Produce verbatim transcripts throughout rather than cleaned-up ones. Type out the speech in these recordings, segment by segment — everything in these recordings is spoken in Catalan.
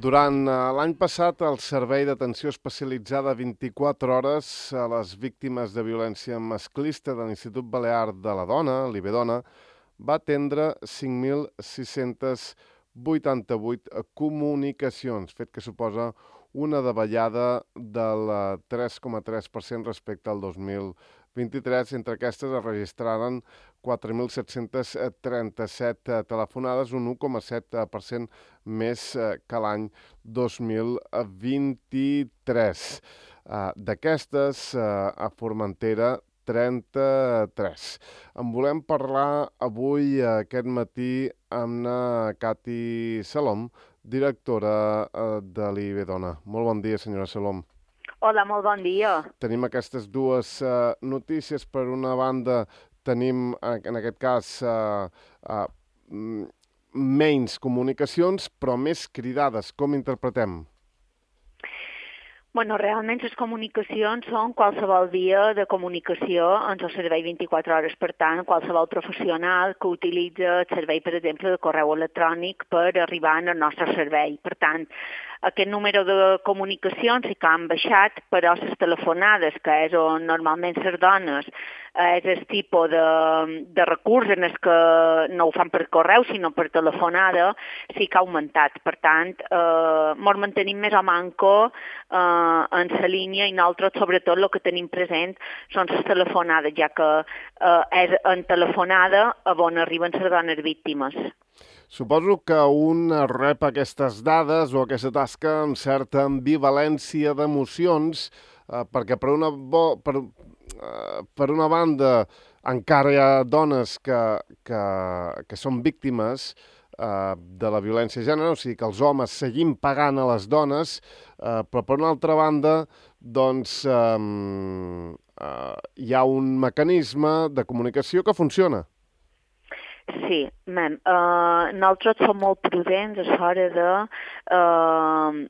Durant l'any passat, el Servei d'Atenció Especialitzada vint-i-quatre hores a les víctimes de violència masclista de l'Institut Balear de la Dona, l'IBEDONA, va atendre cinc mil sis-cents vuitanta-vuit comunicacions, fet que suposa una davallada del tres coma tres per cent respecte al dos mil vint-i-tres. Entre aquestes es registraren quatre mil set-cents trenta-set telefonades, un u coma set per cent més que l'any dos mil vint-i-tres. D'aquestes, a Formentera, trenta-tres. En volem parlar avui, aquest matí, amb la Cati Salom, directora de l'IBEDONA. Molt bon dia, senyora Salom. Hola, molt bon dia. Tenim aquestes dues uh, notícies. Per una banda, tenim, en aquest cas, uh, uh, menys comunicacions, però més cridades. Com interpretem? Bueno, realment les comunicacions són qualsevol via de comunicació en el servei vint-i-quatre hores. Per tant, qualsevol professional que utilitza el servei, per exemple, de correu electrònic per arribar al nostre servei. Per tant, aquest número de comunicacions sí que han baixat, però les telefonades, que és on normalment les dones, és el tipus de, de recurs en el que no ho fan per correu, sinó per telefonada, sí que ha augmentat. Per tant, eh, ens mantenim més o manco eh, en la línia i nosaltres, sobretot, el que tenim present són les telefonades, ja que eh, és en telefonada on arriben les dones víctimes. Suposo que un rep aquestes dades o aquesta tasca amb certa ambivalència d'emocions, eh, perquè per una, bo, per, eh, per una banda encara hi ha dones que, que, que són víctimes eh, de la violència de gènere, o sigui que els homes seguim pagant a les dones, eh, però per una altra banda doncs, eh, eh, hi ha un mecanisme de comunicació que funciona. Sí, mem, uh, nosaltres som molt prudents a l'hora de... Uh,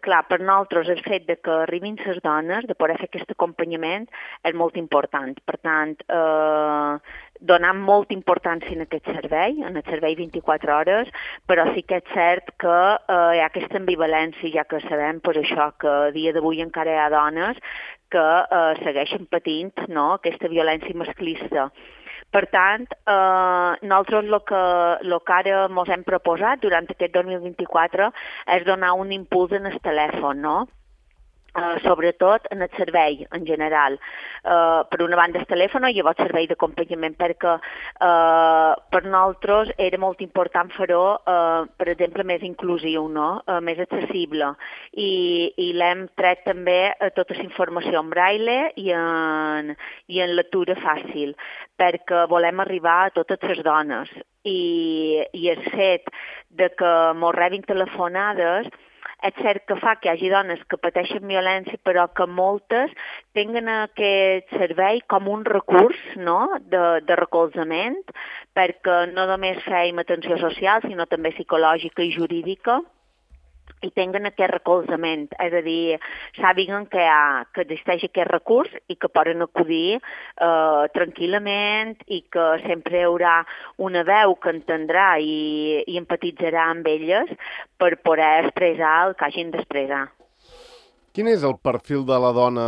clar, per nosaltres el fet de que arribin les dones, de poder fer aquest acompanyament, és molt important. Per tant, uh, donar molta importància en aquest servei, en el servei vint-i-quatre hores, però sí que és cert que uh, hi ha aquesta ambivalència, ja que sabem pues, això, que a dia d'avui encara hi ha dones que uh, segueixen patint, no?, aquesta violència masclista. Per tant, eh, nosaltres el que, el que ara ens hem proposat durant aquest dos mil vint-i-quatre és donar un impuls en el telèfon, no? Uh, sobretot en el servei en general. Uh, per una banda el telèfon i llavors servei d'acompanyament, perquè uh, per nosaltres era molt important fer-ho, uh, per exemple, més inclusiu, no? uh, més accessible. I, i l'hem tret també uh, tota la informació en braille i en, i en lectura fàcil, perquè volem arribar a totes les dones. I, i el fet de que mos rebin telefonades és cert que fa que hi hagi dones que pateixen violència, però que moltes tinguen aquest servei com un recurs, no?, de, de recolzament, perquè no només feim atenció social, sinó també psicològica i jurídica, i tinguen aquest recolzament, és a dir, sàpiguen que, ha, que existeix aquest recurs i que poden acudir eh, tranquil·lament i que sempre hi haurà una veu que entendrà i, i empatitzarà amb elles per poder expressar el que hagin d'expressar. Quin és el perfil de la dona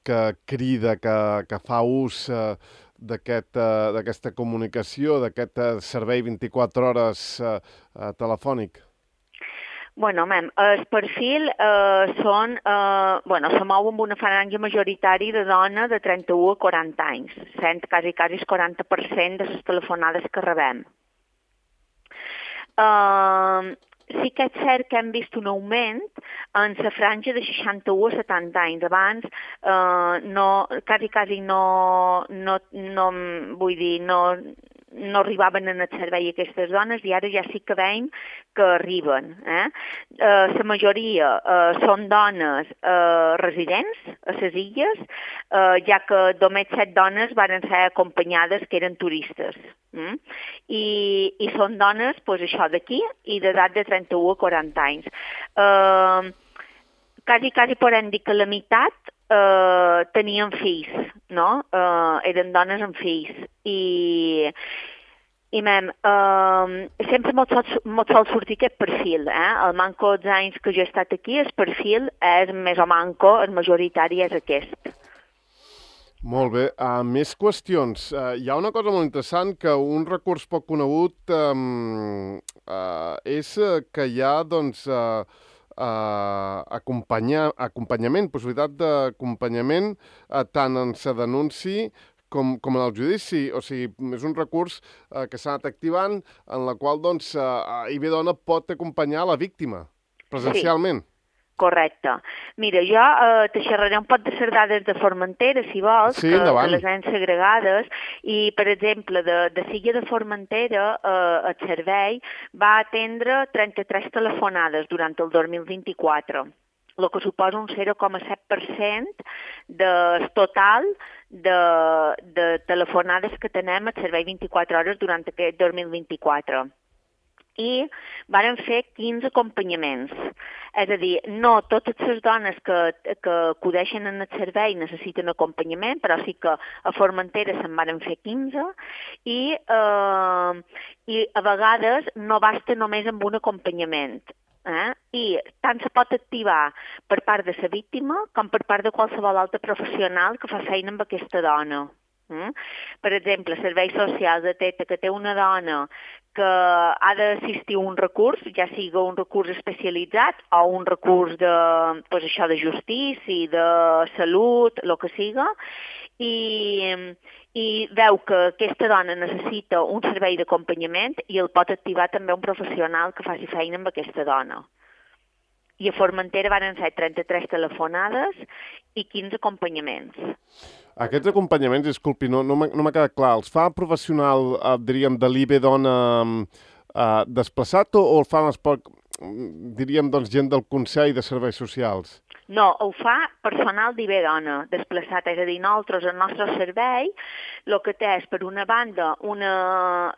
que crida, que, que fa ús eh, d'aquesta aquest, eh, comunicació, d'aquest eh, servei vint-i-quatre hores eh, eh, telefònic? Bueno, mem, el perfil eh, són, eh, bueno, se mou amb una franja majoritària de dona de trenta-u a quaranta anys, sent quasi, quasi el quaranta per cent de les telefonades que rebem. Eh, sí que és cert que hem vist un augment en la franja de seixanta-u a setanta anys. Abans, eh, no, quasi, quasi no, no, no, vull dir, no... no arribaven en el servei aquestes dones i ara ja sí que veiem que arriben. Eh? Eh, la majoria eh, són dones eh, residents a les illes, eh, ja que només set dones van ser acompanyades que eren turistes. Mm? I, i són dones, pues, això d'aquí, i d'edat de trenta-u a quaranta anys. Eh, quasi, quasi podem dir que la meitat eh, tenien fills, no? Eh, eren dones amb fills. I, I mem, eh, sempre mos sol, mos sol sortir aquest perfil, eh? El manco dels anys que jo he estat aquí, el perfil és més o manco, el majoritari és aquest. Molt bé. Uh, més qüestions. Uh, hi ha una cosa molt interessant que un recurs poc conegut um, uh, és que hi ha, doncs, uh, uh, acompanyar, acompanyament, possibilitat d'acompanyament uh, tant en sa denunci com, com en el judici. O sigui, és un recurs uh, que s'ha anat activant en la qual, doncs, uh, I B Dona pot acompanyar la víctima presencialment. Sí. Correcte. Mira, jo eh, te xerraré un poc de les dades de Formentera, si vols, sí, que, endavant. que les han segregades, i, per exemple, de, de Silla de Formentera, eh, el servei va atendre trenta-tres telefonades durant el dos mil vint-i-quatre, el que suposa un zero coma set per cent del total de, de telefonades que tenem al servei vint-i-quatre hores durant aquest dos mil vint-i-quatre. I varen fer quinze acompanyaments. És a dir, no totes les dones que, que acudeixen en el servei necessiten acompanyament, però sí que a Formentera se'n varen fer quinze i, eh, i a vegades no basta només amb un acompanyament. Eh? I tant se pot activar per part de la víctima com per part de qualsevol altre professional que fa feina amb aquesta dona. Mm? Per exemple, serveis socials detecta que té una dona que ha d'assistir a un recurs, ja sigui un recurs especialitzat o un recurs de, pues això, de justícia, de salut, el que siga, i, i veu que aquesta dona necessita un servei d'acompanyament i el pot activar també un professional que faci feina amb aquesta dona. I a Formentera van ser trenta-tres telefonades i quinze acompanyaments. Aquests acompanyaments, disculpi, no, no m'ha quedat clar, els fa professional, eh, diríem, de l'I B Dona eh, desplaçat o, o el fan, poc, diríem, doncs, gent del Consell de Serveis Socials? No, ho fa personal d'I B Dona desplaçat, és a dir, nosaltres, el nostre servei, el que té és, per una banda, una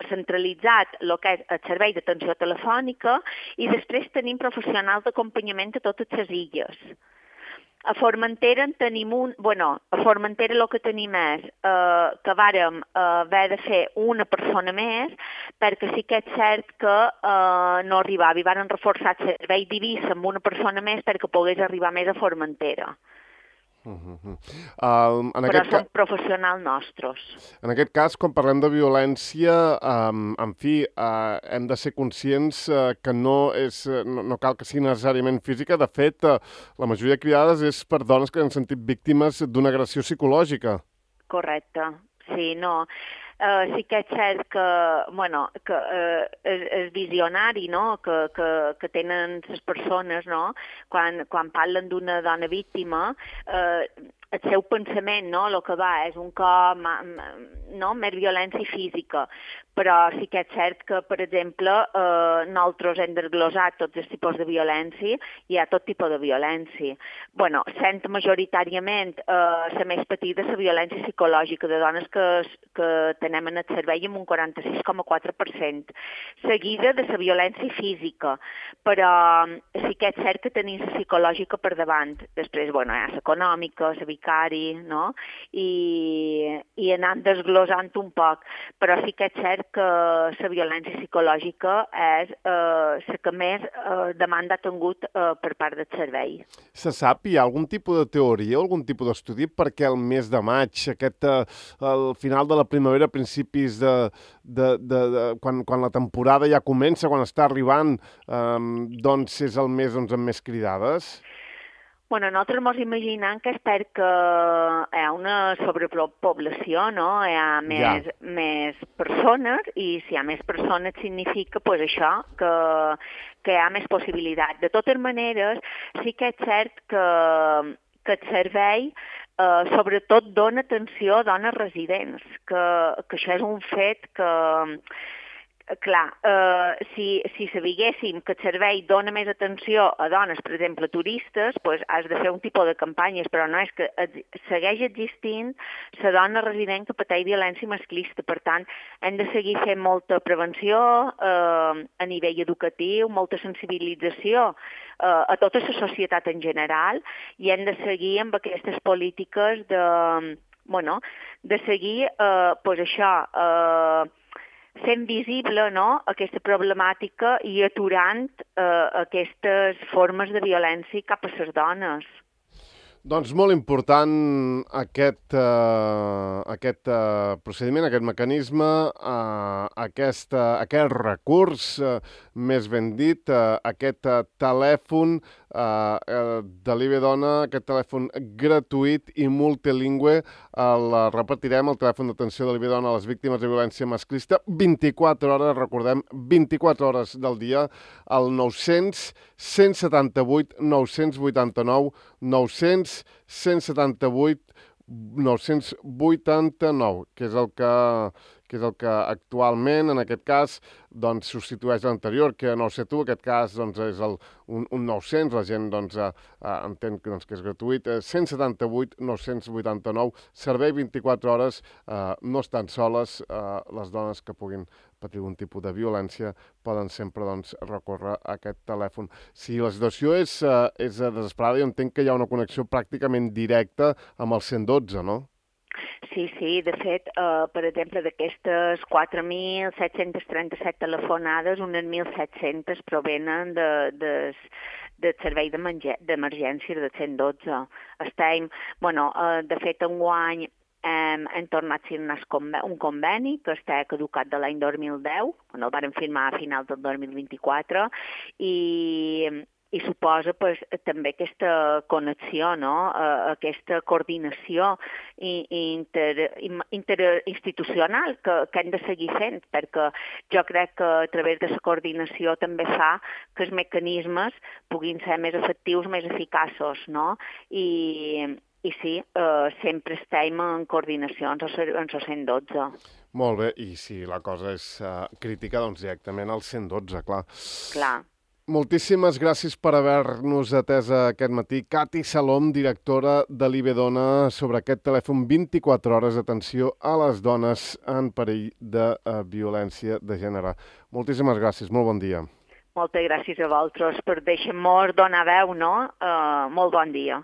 centralitzat el que és el servei d'atenció telefònica i després tenim professionals d'acompanyament a totes les illes. A Formentera en tenim un... Bueno, a Formentera el que tenim és eh, que vàrem eh, haver de fer una persona més perquè sí que és cert que eh, no arribava i varen reforçar el servei d'Eivissa amb una persona més perquè pogués arribar més a Formentera. Uh -huh. uh, en Però aquest són professionals nostres. En aquest cas, quan parlem de violència, um, en fi, uh, hem de ser conscients uh, que no, és, no, no cal que sigui necessàriament física. De fet, uh, la majoria de cridades és per dones que han sentit víctimes d'una agressió psicològica. Correcte, sí, no... Uh, sí que és cert que, bueno, que uh, és, és visionari, no?, que, que, que tenen les persones, no?, quan, quan parlen d'una dona víctima, uh, el seu pensament, no?, el que va és un cop, no?, més violència física, però sí que és cert que, per exemple, eh, nosaltres hem desglosat tots els tipus de violència, hi ha tot tipus de violència. Bueno, sent majoritàriament eh, la més petita, la violència psicològica de dones que, que tenem en el servei amb un quaranta-sis coma quatre per cent, seguida de la violència física, però sí que és cert que tenim la psicològica per davant. Després, bueno, hi ha l'econòmica, la vicari, no?, i, i anant desglosant un poc, però sí que és cert que la violència psicològica és eh, la que més eh, demanda ha tingut eh, per part del servei. Se sap, hi ha algun tipus de teoria, algun tipus d'estudi perquè el mes de maig, aquest, eh, el final de la primavera, principis de, de, de, de quan, quan la temporada ja comença, quan està arribant, eh, doncs és el mes doncs, amb més cridades? Bueno, nosaltres ens imaginem que és perquè hi ha una sobrepoblació, no? Hi ha més, ja. més persones i si hi ha més persones significa pues, això, que, que hi ha més possibilitat. De totes maneres, sí que és cert que, que el servei eh, sobretot dona atenció a dones residents, que, que això és un fet que... Clar, eh, si, si sabiguéssim que el servei dona més atenció a dones, per exemple, turistes, pues has de fer un tipus de campanyes, però no és que segueix existint la dona resident que pateix violència masclista. Per tant, hem de seguir fent molta prevenció eh, a nivell educatiu, molta sensibilització eh, a tota la societat en general i hem de seguir amb aquestes polítiques de, bueno, de seguir, eh, pues això, eh, fent visible, no?, aquesta problemàtica i aturant eh, aquestes formes de violència cap a les dones. Doncs molt important aquest, uh, aquest uh, procediment, aquest mecanisme, uh, aquest, uh, aquest recurs, uh, més ben dit, uh, aquest uh, telèfon uh, uh, de l'I B Dona, aquest telèfon gratuït i multilingüe. El uh, repetirem, el telèfon d'atenció de l'I B Dona a les víctimes de violència masclista, vint-i-quatre hores, recordem, vint-i-quatre hores del dia, al nou-cents, cent setanta-vuit, nou-cents vuitanta-nou, nou-cents, cent setanta-vuit, nou-cents vuitanta-nou, que és el que, que és el que actualment, en aquest cas, doncs, substitueix l'anterior, que no ho sé tu, aquest cas doncs, és el, un, un nou-cents, la gent doncs, eh, entén que, doncs, que és gratuït, eh, cent setanta-vuit, nou-cents vuitanta-nou, servei vint-i-quatre hores, eh, no estan soles, eh, les dones que puguin patir un tipus de violència poden sempre doncs, recórrer a aquest telèfon. Si la situació és, eh, és desesperada, jo entenc que hi ha una connexió pràcticament directa amb el cent dotze, no? Sí, sí, de fet, eh, per exemple, d'aquestes quatre mil set-cents trenta-set telefonades, unes mil set-cents provenen de, de, del servei d'emergències de cent dotze. Estem, bueno, eh, de fet, enguany hem, hem tornat a signar un conveni que està caducat de l'any dos mil deu, on el vàrem firmar a finals del dos mil vint-i-quatre, i, i suposa pues, també aquesta connexió, no? Uh, aquesta coordinació inter, interinstitucional que, que hem de seguir fent, perquè jo crec que a través de la coordinació també fa que els mecanismes puguin ser més efectius, més eficaços, no? I, i sí, eh, sempre estem en coordinació amb el cent dotze. Molt bé, i si la cosa és uh, crítica, doncs directament al cent dotze, clar. Clar. Moltíssimes gràcies per haver-nos atès aquest matí. Cati Salom, directora de l'I B Dona, sobre aquest telèfon vint-i-quatre hores d'atenció a les dones en perill de uh, violència de gènere. Moltíssimes gràcies, molt bon dia. Moltes gràcies a vosaltres per deixar-nos donar veu, no? Uh, molt bon dia.